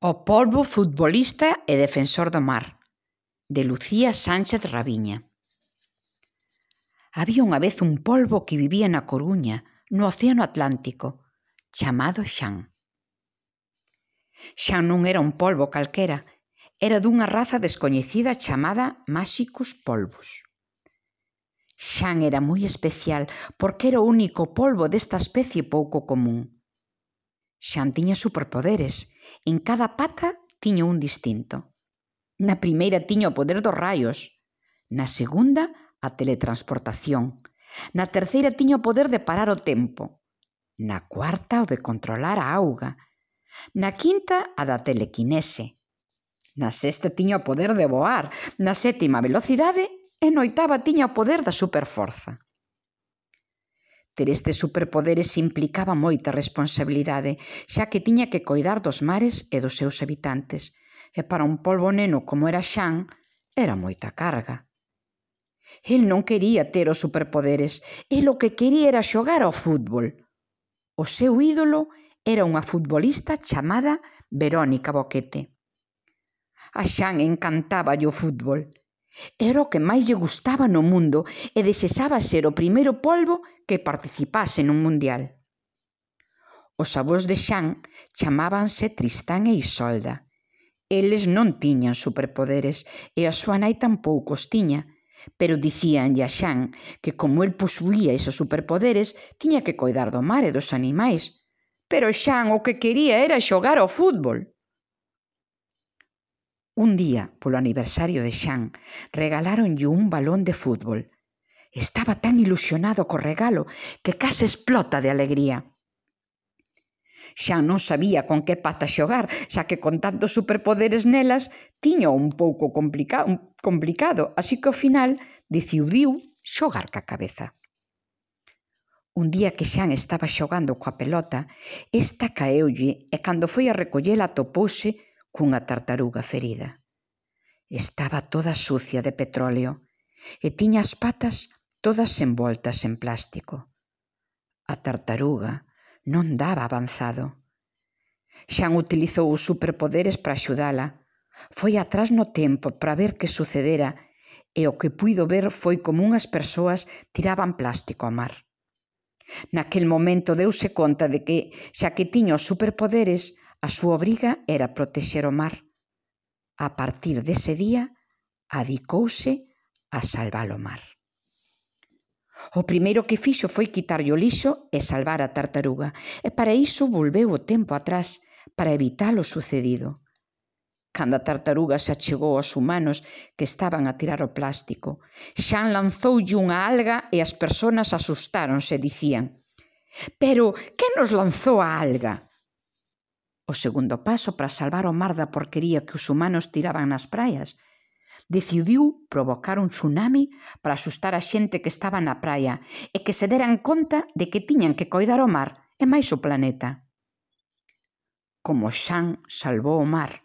O polvo futbolista e defensor do mar, de Lucía Sánchez Raviña. Había unha vez un polvo que vivía na Coruña, no Océano Atlántico, chamado Xan. Xan non era un polvo calquera, era dunha raza descoñecida chamada Máxicus polvus. Xan era moi especial porque era o único polvo desta especie pouco común. Xan tiña superpoderes, en cada pata tiña un distinto. Na primeira tiña o poder dos raios, na segunda a teletransportación, na terceira tiña o poder de parar o tempo, na cuarta o de controlar a auga, na quinta a da telequinese, na sexta tiña o poder de voar, na sétima a velocidade e na oitava tiña o poder da superforza. Ter estes superpoderes implicaba moita responsabilidade, xa que tiña que coidar dos mares e dos seus habitantes, e para un polvo neno como era Xan, era moita carga. El non quería ter os superpoderes, el o que quería era xogar ao fútbol. O seu ídolo era unha futbolista chamada Verónica Boquete. A Xan encantáballe o fútbol. Era o que máis lle gustaba no mundo e desexaba ser o primeiro polvo que participase nun mundial. Os avós de Xan chamábanse Tristán e Isolda. Eles non tiñan superpoderes e a súa nai tampouco os tiña, pero dicíanlle a Xan que como el posuía esos superpoderes tiña que coidar do mar e dos animais. Pero Xan o que quería era xogar ao fútbol. Un día, polo aniversario de Xan, regaláronlle un balón de fútbol. Estaba tan ilusionado co regalo que case explota de alegría. Xan non sabía con que pata xogar, xa que con tantos superpoderes nelas tiña un pouco complicado, así que ao final decidiu xogar ca cabeza. Un día que Xan estaba xogando coa pelota, esta caeulle e cando foi a recollela atopouse cunha tartaruga ferida. Estaba toda sucia de petróleo e tiña as patas todas envoltas en plástico. A tartaruga non daba avanzado. Xan utilizou os superpoderes para axudala. Foi atrás no tempo para ver que sucedera e o que puido ver foi como unhas persoas tiraban plástico ao mar. Naquel momento deuse conta de que, xa que tiña os superpoderes, a súa obriga era protexer o mar. A partir dese día, adicouse a salvar o mar. O primeiro que fixo foi quitarlle o lixo e salvar a tartaruga, e para iso volveu o tempo atrás, para evitar o sucedido. Cando a tartaruga se achegou aos humanos que estaban a tirar o plástico, Xan lanzoulle unha alga e as persoas asustáronse e dicían: «Pero, que nos lanzou a alga?» O segundo paso para salvar o mar da porquería que os humanos tiraban nas praias, decidiu provocar un tsunami para asustar a xente que estaba na praia e que se deran conta de que tiñan que coidar o mar e máis o planeta. Como Xan salvou o mar,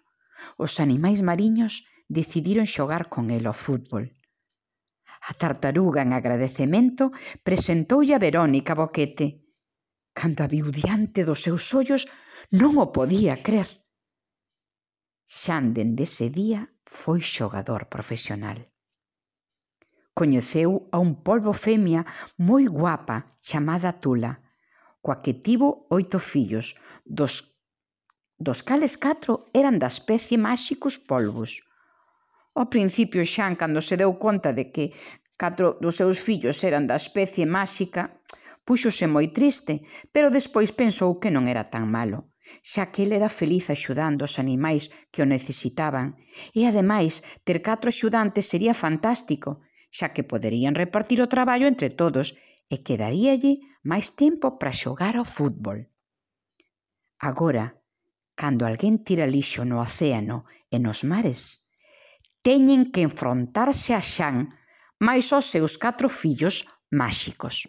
os animais mariños decidiron xogar con el ao fútbol. A tartaruga, en agradecemento, presentoulle a Verónica Boquete. Cando a viu diante dos seus ollos, non o podía crer. Xan, dende ese día, foi xogador profesional. Coñeceu a un polvo femia moi guapa chamada Tula, coa que tivo 8 fillos, dos cales 4 eran da especie Máxicus polvus. Ao principio Xan, cando se deu conta de que 4 dos seus fillos eran da especie máxica, púxose moi triste, pero despois pensou que non era tan malo, xa que el era feliz axudando os animais que o necesitaban, e ademais ter 4 axudantes sería fantástico, xa que poderían repartir o traballo entre todos e quedaríalle máis tempo para xogar ao fútbol. Agora, cando alguén tira lixo no océano e nos mares, teñen que enfrontarse a Xan máis aos seus 4 fillos máxicos.